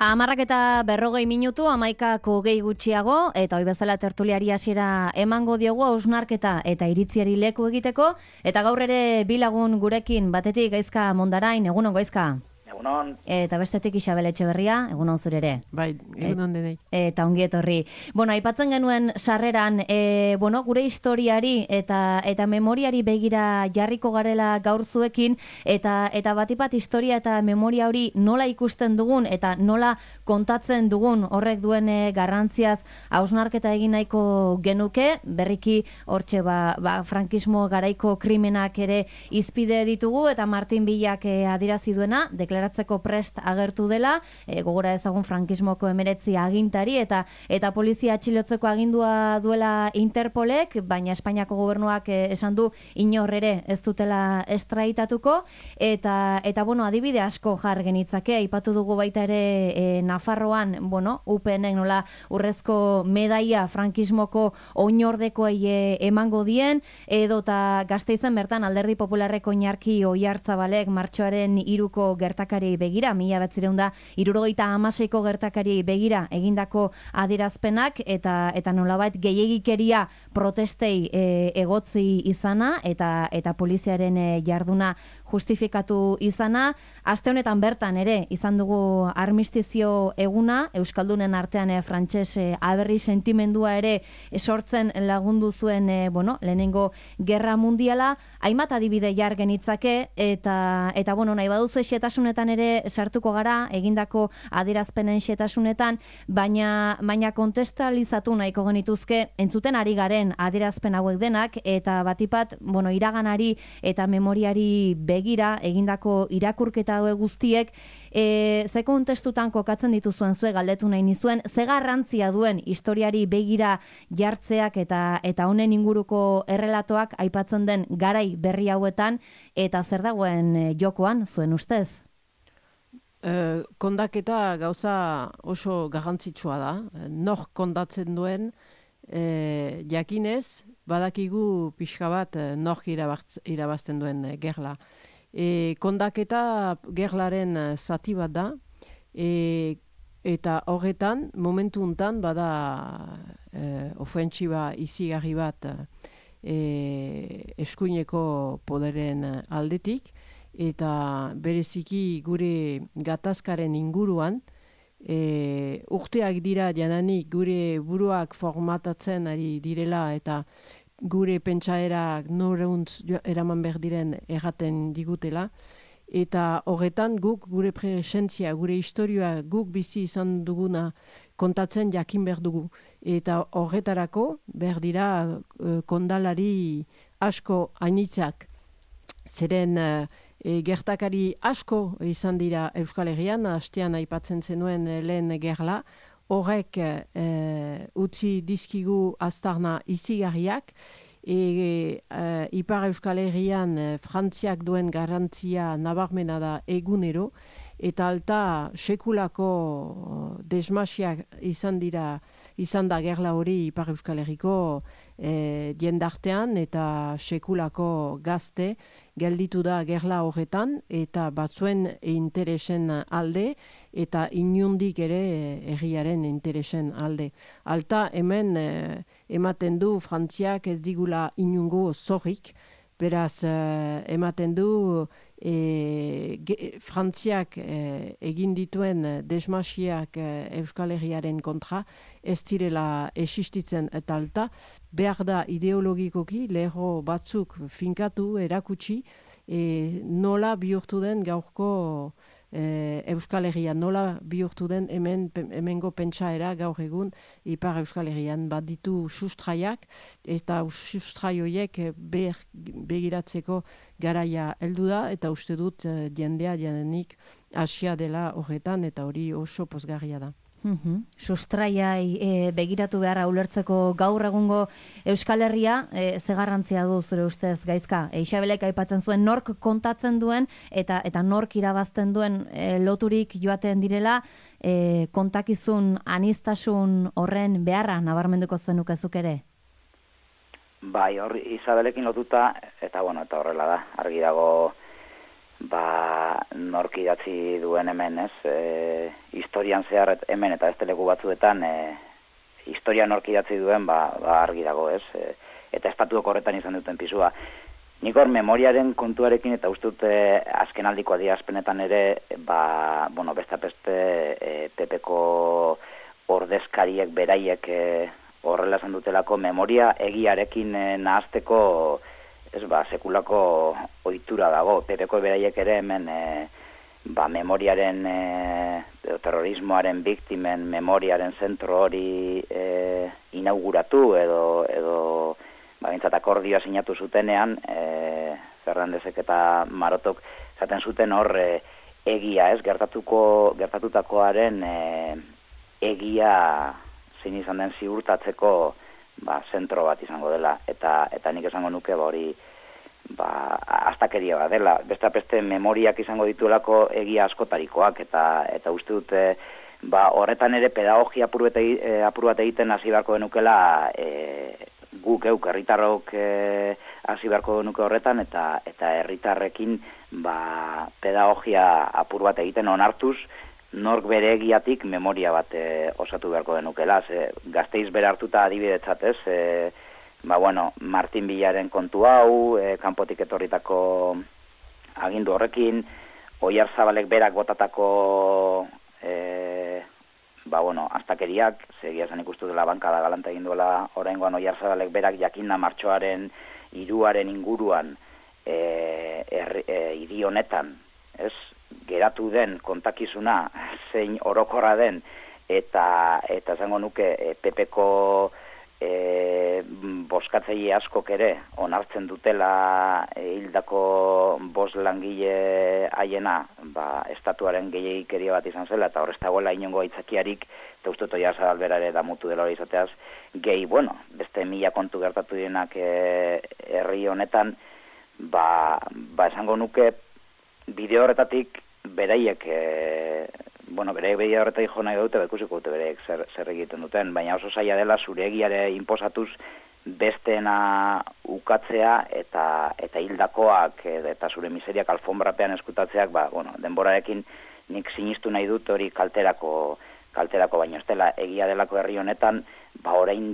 10:40 11:00 gutxiago, eta hoi bezala tertuliari hasiera emango diogu hausnarketa eta iritziari leku egiteko, eta gaur ere bi lagun gurekin, batetik Gaizka Mondarain, egunon Gaizka. Egunon. Eta bestetik Isabel Etxeberria, egunon zure ere. Bai, egunon denei. Eta ongi etorri. Aipatzen genuen sarreran, gure historiari eta memoriari begira jarriko garela gaur zuekin, eta batipat historia eta memoria hori nola ikusten dugun eta nola kontatzen dugun horrek duen garrantziaz hausnarketa egin nahiko genuke, berriki hortxe frankismo garaiko krimenak ere izpide ditugu, eta Martin Villak adierazi duena, deklaratzeko prest agertu dela, gogora ezagun frankismoko 19 agintari eta polizia atxilotzeko agindua duela Interpolek, baina Espainiako gobernuak esan du inor ere ez dutela estraitatuko, eta adibide asko jar genitzake, aipatu dugu baita ere Nafarroan, UPNek nola urrezko medaia frankismoko oinordekoei emango dien, edota Gasteizen bertan Alderdi Popularreko Oinarki Oiartzabalek martxoaren 3ko gertakari begira, 1976ko gertakari begira egindako adierazpenak, eta nolabait gehiegikeria protestei egotzi izana, eta poliziaren jarduna justifikatu izana. Aste honetan bertan ere izan dugu armistizio eguna, Euskaldunen artean frantses aberri sentimendua ere sortzen lagundu zuen lehenengo gerra mundiala. Hainbat adibide jar genitzake, eta nahi baduzu xetasunetan ere sartuko gara, egindako adierazpenen xetasunetan, baina kontestalizatu nahiko genituzke entzuten ari garen adierazpen hauek denak, eta batipat, iraganari eta memoriari begira egindako irakurketa hauek guztiek, ze kontestutan kokatzen dituzuen zue galdetu nahi nizuen, ze garrantzia duen historiari begira jartzeak eta honen inguruko errelatoak aipatzen den garai berri hauetan, eta zer dagoen jokoan zuen ustez? Kondaketa gauza oso garrantzitsua da. Nor kondatzen duen jakinez, badakigu pixka bat nork irabazten duen gerla. Kondaketa gerlaren zati bat da, eta horretan, momentu untan, bada ofentsiba izigarri bat eskuineko poderen aldetik, eta bereziki gure gatazkaren inguruan, urteak dira jananik gure buruak formatatzen ari direla, eta gure pentsaerak noreuntz eraman behar diren erraten digutela, eta horretan guk gure presentzia, gure historia guk bizi izan duguna kontatzen jakin behar dugu. Eta horretarako behar dira kondalari asko hainitzak, zeren gertakari asko izan dira Euskal Herrian, hastean aipatzen zenuen lehen gerla, horrek utzi dizkigu aztarna izigarriak, Ipar Euskal Herrian Frantziak duen garrantzia nabarmena da egunero, eta alta sekulako desmasiak izan da gerla hori Ipar Euskal Herriko jendartean, eta sekulako gazte gelditu da gerla horretan, eta batzuen interesen alde, eta inundik ere herriaren interesen alde. Alta hemen ematen du Frantziak ez digula inungo zorrik, beraz ematen du Frantziak egin dituen desmasiak Euskal Herriaren kontra ez direla existitzen, eta alta behar da ideologikoki lerro batzuk finkatu, erakutsi, nola bihurtu den gaurko Euskal Herrian, nola bihurtu den hemengo pentsaera gaur egun Ipar Euskal Herrian. Bat ditu sustraiak, eta sustrai horiek begiratzeko garaia heldu da, eta uste dut jendea janenik hasia dela horretan, eta hori oso pozgarria da. Sustraiai begiratu beharra ulertzeko gaur egungo Euskal Herria, ze garrantzia du zure ustez, Gaizka? Isabelek aipatzen zuen nork kontatzen duen eta nork irabazten duen loturik joaten direla, kontakizun aniztasun horren beharra nabarmenduko zenukezuk ere? Bai, hor Isabelekin lotuta, eta horrela da, argi dago nork idatzi duen hemen, historian zehar hemen eta beste leku batzuetan, historia nork idatzi duen, argi dago, eta estatuok horretan izan duten pisua. Nik hor memoriaren kontuarekin eta uste dute azkenaldiko adierazpenetan ere, beste PPko ordezkariek beraiek horrela esan dutelako memoria egiarekin nahazteko sekulako ohitura dago. PPko beraiek ere hemen memoriaren terrorismoaren biktimen memoriaren zentro hori inauguratu edo bintzat akordioa sinatu zutenean, Fernandezek eta Marotok zaten zuten hor egia, gertatutakoaren egia zein izan den ziurtatzeko zentro bat izango dela, eta nik esango nuke hori astakeria bat dela. Beste memoriak izango dituelako egia askotarikoak, eta uste dute horretan ere pedagogia apur bat egiten hasi beharko denukela guk herritarrok hasi beharko genuke horretan, eta herritarrekin pedagogia apur bat egiten onartuz nork bere egiatik memoria bat osatu beharko denukela. Gasteiz bere hartuta adibidetzat, Martin Villaren kontu hau, kanpotik etorritako agindu horrekin, Oiarzabalek berak botatako astakeriak, segia zen ikustu dela bankada galanta egin duela oraingoan Oiarzabalek berak jakinda martxoaren 3 inguruan hiri honetan, geratu den kontakizuna zein orokorra den, eta esango nuke PPko boskatzaile askok ere onartzen dutela hildako 5 langile haiena estatuaren gehiegikeria bat izan zela, eta hor ez dagoela inongo aitzakiarik, eta uste dut Oiarzabal bera ere damutu dela hori izateaz, beste 1000 kontu gertatu dienak herri honetan, esango nuke bideo horretatik beraiek bideo horretatik jo nahi dute, ikusiko dute beraiek zer egiten duten, baina oso zaila dela zure egiare inposatuz besteena ukatzea eta hildakoak eta zure miseriak alfonbrapean eskutatzeak, denborarekin nik sinistu nahi dut hori kalterako baino ez dela egia delako herri honetan, orain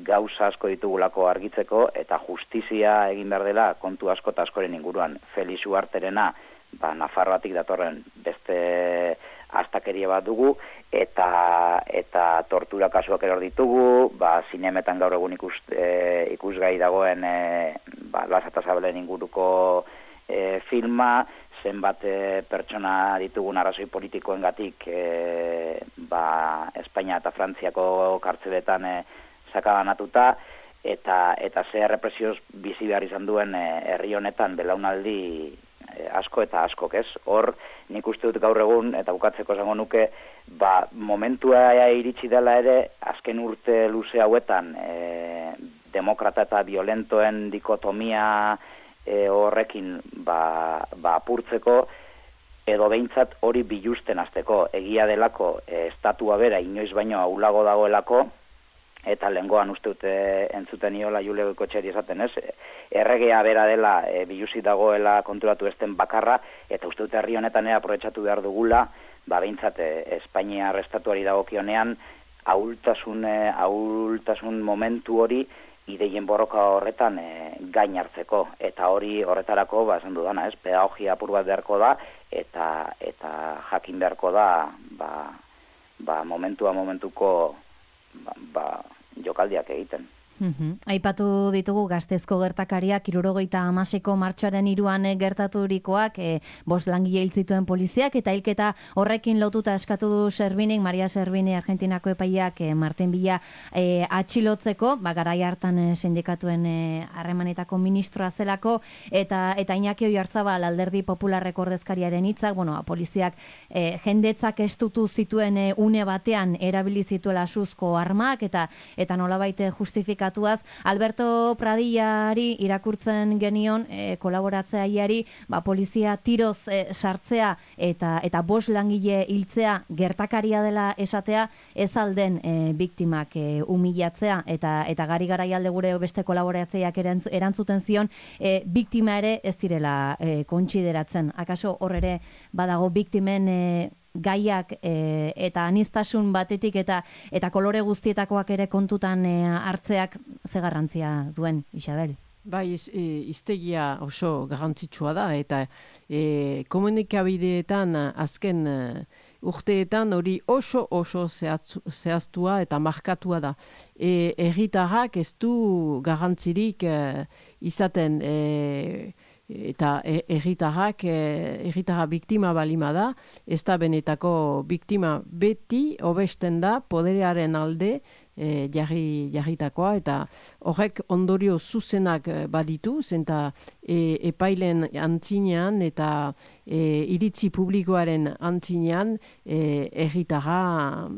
gauza asko ditugulako argitzeko, eta justizia egin behar dela kontu asko eta askoren inguruan. Felix Ugarterena Nafarroatik datorren beste astakeria bat dugu, eta tortura kasuak eror ditugu, zinemetan gaur egun ikusgai dagoen Lasa eta Sabelen inguruko filma, zenbat pertsona ditugun arrazoi politikoengatik Espainia eta Frantziako kartzeletan sakabanatuta, eta ze represioz bizi behar izan duen herri honetan belaunaldi asko eta askok, Hor, nik uste dut gaur egun, eta bukatzeko esango nuke, momentua iritsi dela ere, azken urte luze hauetan, demokrata eta violentoen dikotomia horrekin apurtzeko, edo behintzat hori bilusten hasteko, egia delako estatua bera inoiz baino ahulago dagoelako, eta lehengoan uste dute entzuten iola Jule Goikotxeri esaten, erregea bera dela biluzi dagoela konturatu esten bakarra, eta uste dute herri honetan aprobetxatu behar dugula, behintzat Espainiar estatuari dagokionean ahultasun momentu hori ideien borroka horretan gain hartzeko, eta hori horretarako, esan dudana, pedagogia apur bat beharko da, eta jakin beharko da, momentuko jokaldiak egiten. Aipatu ditugu Gasteizko gertakariak 76ko martxoaren 3 gertaturikoak, 5 langile hil zituen poliziak, eta hilketa horrekin lotuta eskatu du Servinik, Maria Servini Argentinako epaileak Martin Villa atxilotzeko, garai hartan sindikatuen harremanetako ministroa zelako, eta Iñaki Oiarzabal Alderdi Popularreko ordezkariaren hitzak, poliziak jendetzak estutu zituen une batean erabili zituela suzko armak, eta nolabait justifika katuaz. Alberto Pradillari irakurtzen genion kolaboratzaileari polizia tiroz sartzea eta 5 langile hiltzea gertakaria dela esatea, ez alden biktimak humilatzea eta gari garaialde gure beste kolaboratzaileak erantzuten zion biktima ere ez direla kontsideratzen. Akaso hor ere badago biktimen gaiak eta aniztasun batetik eta kolore guztietakoak ere kontutan hartzeak ze garrantzia duen, Isabel? Bai, hiztegia oso garrantzitsua da, eta komunikabideetan azken urteetan hori oso zehaztua eta markatua da. Herritarrak ez du garrantzirik izaten eta herritarra biktima balima da, ez da benetako biktima beti hobesten da poderearen alde jarritakoa, eta horrek ondorio zuzenak baditu, zenta epailen antzinean eta iritzi publikoaren antzinean herritarra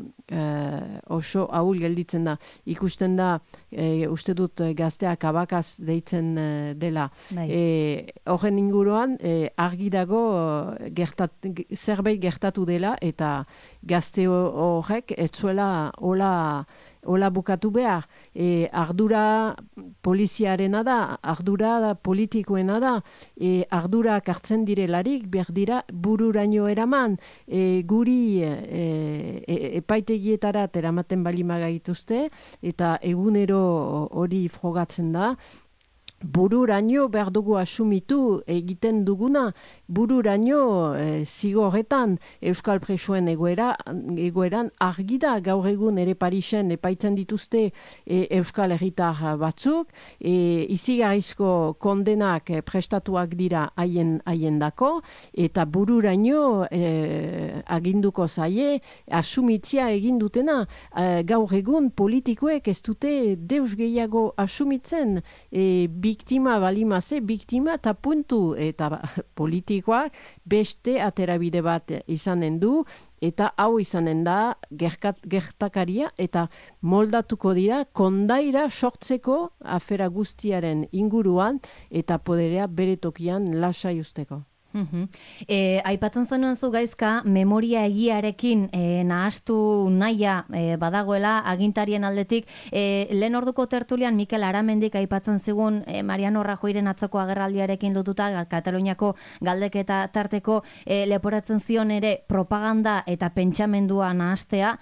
oso ahul gelditzen da. Ikusten da, uste dut gazteak abakaz deitzen dela. Horren inguruan argi dago zerbait gertatu dela, eta gazte horrek ez zuela hola bukatu behar. Ardura poliziarena da, ardura politikoena da, ardurak hartzen direlarik, behar dira bururaino eraman, guri epaitegietara eramaten balima gaituzte, eta egunero hori frogatzen da, bururaino behar dugu asumitu egiten duguna, bururaino zigorretan Euskal Presoen egoeran argi da, gaur egun ere Parisen epaitzen dituzte Euskal Herritar batzuk, izigarrizko kondenak prestatuak dira haien dako, eta bururaino aginduko zaie asumitzia egin dutena. Gaur egun politikoek ez dute deus gehiago asumitzen, biktima balimaze, biktima eta puntu, eta politikoak beste aterabide bat izanen du, eta hau izanen da gertakaria, eta moldatuko dira kondaira sortzeko afera guztiaren inguruan, eta poderea bere tokian lasai usteko. Aipatzen zenuen zu Gaizka, memoria egiarekin nahastu nahia badagoela agintarien aldetik. Lehen orduko tertulian Mikel Aramendik aipatzen zigun Mariano Rajoyren atzoko agerraldiarekin lotuta Kataluniako galdeketa tarteko leporatzen zion ere propaganda eta pentsamendua nahastea,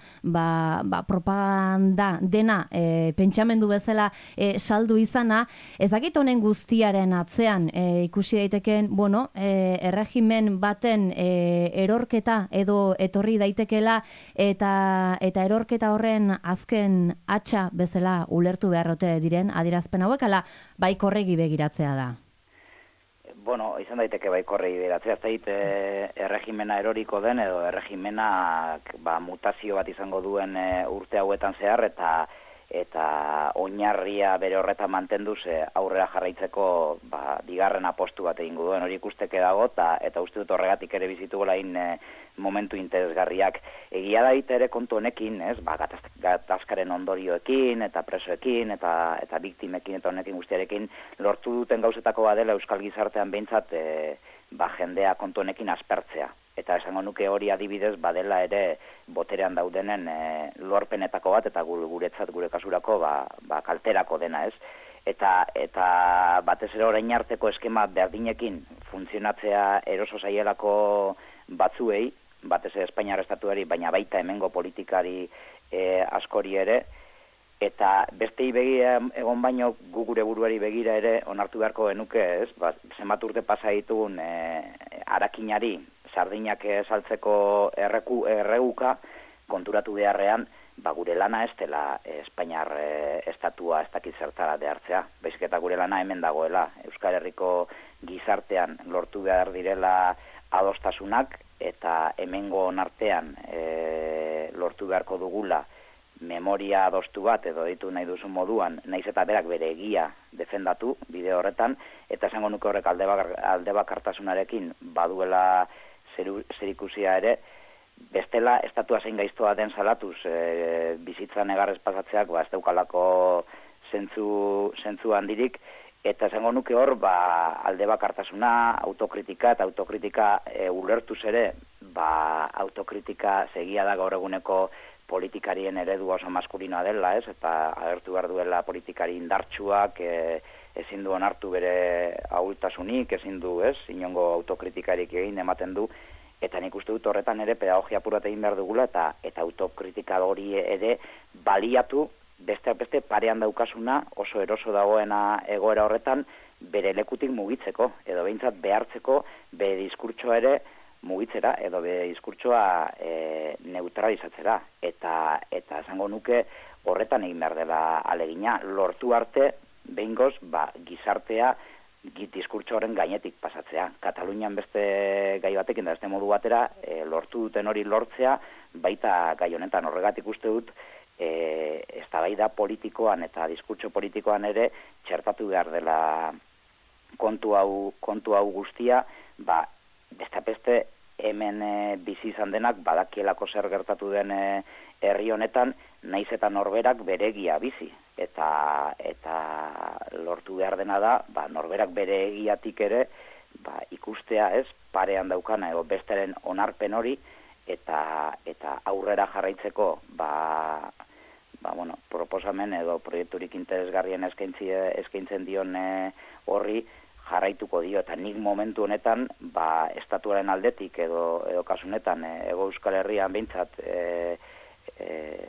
propaganda dena pentsamendu bezala saldu izana. Ezakit honen guztiaren atzean ikusi daiteken, erregimen baten erorketa edo etorri daitekela, eta erorketa horren azken hatxa bezala ulertu beharrote diren adierazpen hauek, ala baikorregi begiratzea da? Izan daiteke baikorregi begiratzea, ez dait erregimena eroriko den edo erregimenak mutazio bat izango duen urte hauetan zehar, eta oinarria bere horretan mantenduz aurrera jarraitzeko bigarren apostu bat egingo duen, hori ikusteke dago, eta uste dut horregatik ere bizitugola momentu interesgarriak. Egia da ere kontu honekin, gatazkaren ondorioekin, eta presoekin, eta biktimekin, eta honekin guztiarekin lortu duten gauzetako badela Euskal Gizartean behintzat jendea kontu honekin aspertzea. Eta esango nuke hori adibidez badela ere boterean daudenen lorpenetako bat, eta guretzat gure kasurako kalterako dena, ez? Eta batez ere orain arteko eskema berdinekin funtzionatzea eroso zaielako batzuei, batez ere Espainiar estatuari, baina baita hemengo politikari askori ere, eta bestei begira egon baino gu gure buruari begira ere onartu beharko genuke, ez? Zenbat urte pasa ditugun arakinari sardinak saltzeko erreguka konturatu beharrean, gure lana ez dela Espainiar estatua ez dakit zertara behartzea. Baizik eta gure lana hemen dagoela. Euskal Herriko gizartean lortu behar direla adostasunak, eta hemengo artean lortu beharko dugula memoria adostu bat, edo ditu nahi duzun moduan, naiz eta berak bere egia defendatu bide horretan, eta esango nuke horrek alde bakartasunarekin baduela zerikusia ere, bestela estatua zein gaiztoa den salatuz bizitzan egarrez pasatzeak ez daukalako zentzu handirik, eta esango nuke hor, alde bakartasuna, autokritika, eta autokritika ulertuz ere, autokritika segia da gaur eguneko politikarien eredu oso maskulinoa dela, ez? Eta agertu behar duela politikari indartsuak, ezin du onartu bere ahultasunik, ezin du, ez? Inongo autokritikarik egin ematen du, eta nik uste dut horretan ere pedagogia purat egin behar dugula, eta autokritika hori ere baliatu, beste parean daukasuna, oso eroso dagoena egoera horretan, bere lekutik mugitzeko, edo behintzat behartzeko, bere diskurtsoa ere mugitzera, edo bere diskurtsoa neutralizatzera. Eta esango nuke horretan egin behar dela alegina, lortu arte, behingoz, gizartea diskurtso horren gainetik pasatzea. Katalunian beste gai batekin da beste modu batera, lortu duten hori lortzea, baita gai honetan horregatik uste dut, eztabaida politikoan eta diskurtso politikoan ere txertatu behar dela kontu hau guztia, beste hemen bizi izan denak badakielako zer gertatu den herri honetan, naiz eta norberak beregia bizi, eta lortu behar dena da, norberak bere egiatik ere ikustea, ez, parean daukana edo besteren onarpen hori, eta aurrera jarraitzeko proposamen edo proiekturik interesgarrien eskaintzen dion horri jarraituko dio, eta nik momentu honetan estatuaren aldetik edo kasunetan Hego Euskal Herrian behintzat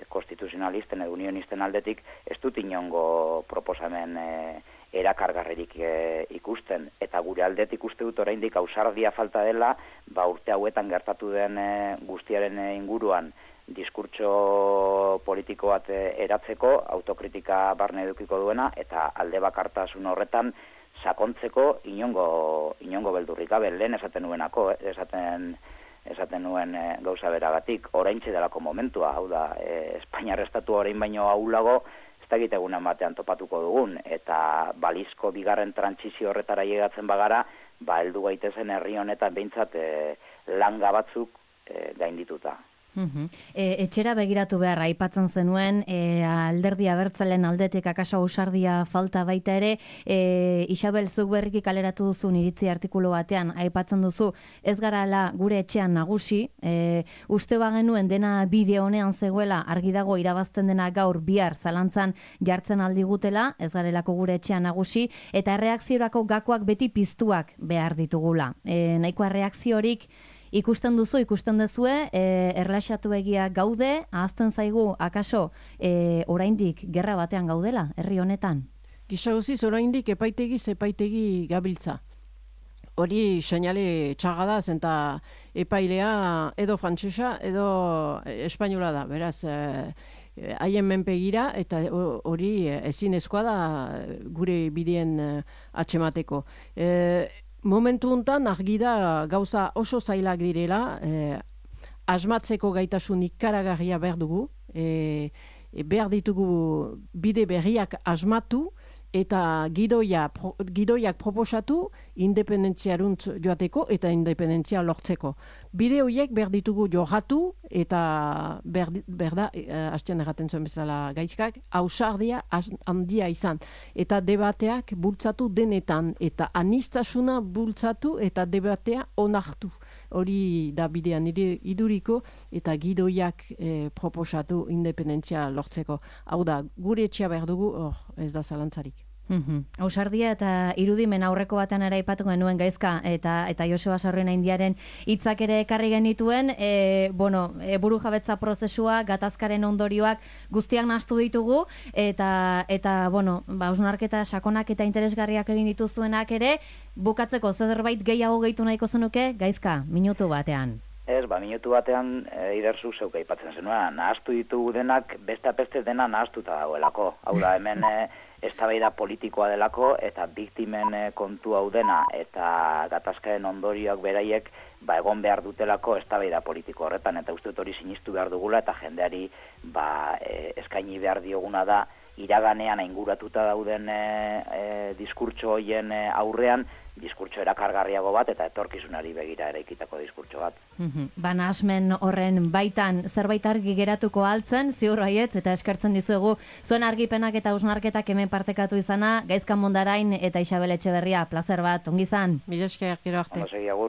konstituzionalisten edo unionisten aldetik ez dut inongo proposamen erakargarririk ikusten, eta gure aldetik uste dut oraindik ausardia falta dela urte hauetan gertatu den guztiaren inguruan diskurtso politiko bat eratzeko, autokritika barne edukiko duena, eta alde bakartasun horretan sakontzeko inongo beldurrik gabe, lehen esaten nuenako, esaten nuen gauza beragatik, oraintxe delako momentua, hau da, Espainiar estatu orain baino ahulago, ez dakit egunen batean topatuko dugun, eta balizko bigarren trantsizio horretara llegatzen bagara, heldu gaitezen herri honetan behintzat langa batzuk gaindituta. Etxera begiratu behar, aipatzen zenuen, alderdi abertzalen aldetik akaso ausardia falta baita ere, Isabel, zuk berriki kaleratu duzun iritzi artikulu batean, aipatzen duzu, ez garala gure etxean nagusi, uste bagenuen dena bideo honean zegoela, argi dago irabazten dena gaur bihar zalantzan jartzen aldigutela, ez garelako gure etxean nagusi, eta erreakziorako gakoak beti piztuak behar ditugula. Nahikoa erreakziorik ikusten duzue, erlaxatu egia gaude, ahazten zaigu, akaso, oraindik gerra batean gaudela, herri honetan? Gisa guziz, oraindik epaitegi gabiltza. Hori seinale txaga da, zenta epailea edo frantsesa edo espainola da, beraz, haien menpegira, eta hori ezinezkoa da gure bideen atxemateko. Momentu honetan argi da gauza oso zailak direla, asmatzeko gaitasun ikaragarria behar dugu, behar ditugu bide berriak asmatu eta gidoiak proposatu independentziaruntz joateko eta independentzia lortzeko. Bide horiek behar ditugu jorratu eta behar da, hastean erraten zuen bezala gaizkak, ausardia handia izan. Eta debateak bultzatu denetan eta aniztasuna bultzatu eta debatea onartu. Hori da bidean iduriko eta gidoiak proposatu independentzia lortzeko. Hau da, gure etxea behar dugu, ez da zalantzarik. Ausardia eta irudimen aurreko batean ere aipatu genuen gaizka eta Joseba Sarrioen Indiaren hitzak ere ekarri genituen, buru jabetza prozesua, gatazkaren ondorioak guztiak nahastu ditugu eta hausnarketa sakonak eta interesgarriak egin dituzuenak ere, bukatzeko zerbait gehiago gehitu nahiko zenuke, gaizka, minutu batean. Ez, minutu batean iderzu zeuk aipatzen zenuen, nahastu ditugu denak, beste dena nahastuta dagoelako. Hau da, hemen eztabaida politikoa delako eta biktimen kontu hau dena eta gatazkaren ondorioak beraiek egon behar dutelako eztabaida politiko horretan, eta uste dut hori sinistu behar dugula, eta jendeari eskaini behar dioguna da, iraganean ainguratuta dauden diskurtso hoien aurrean, diskurtso erakargarriago bat eta etorkizunari begira eraikitako diskurtso bat. Nahasmen horren baitan zerbait argi geratuko altzen, ziur baietz, eta eskertzen dizuegu zuen argipenak eta hausnarketak hemen partekatu izana, Gaizka Mondarain eta Isabel Etxeberria, plazer bat, ongi izan. Mila esker, gero arte. Ondo segi, agur.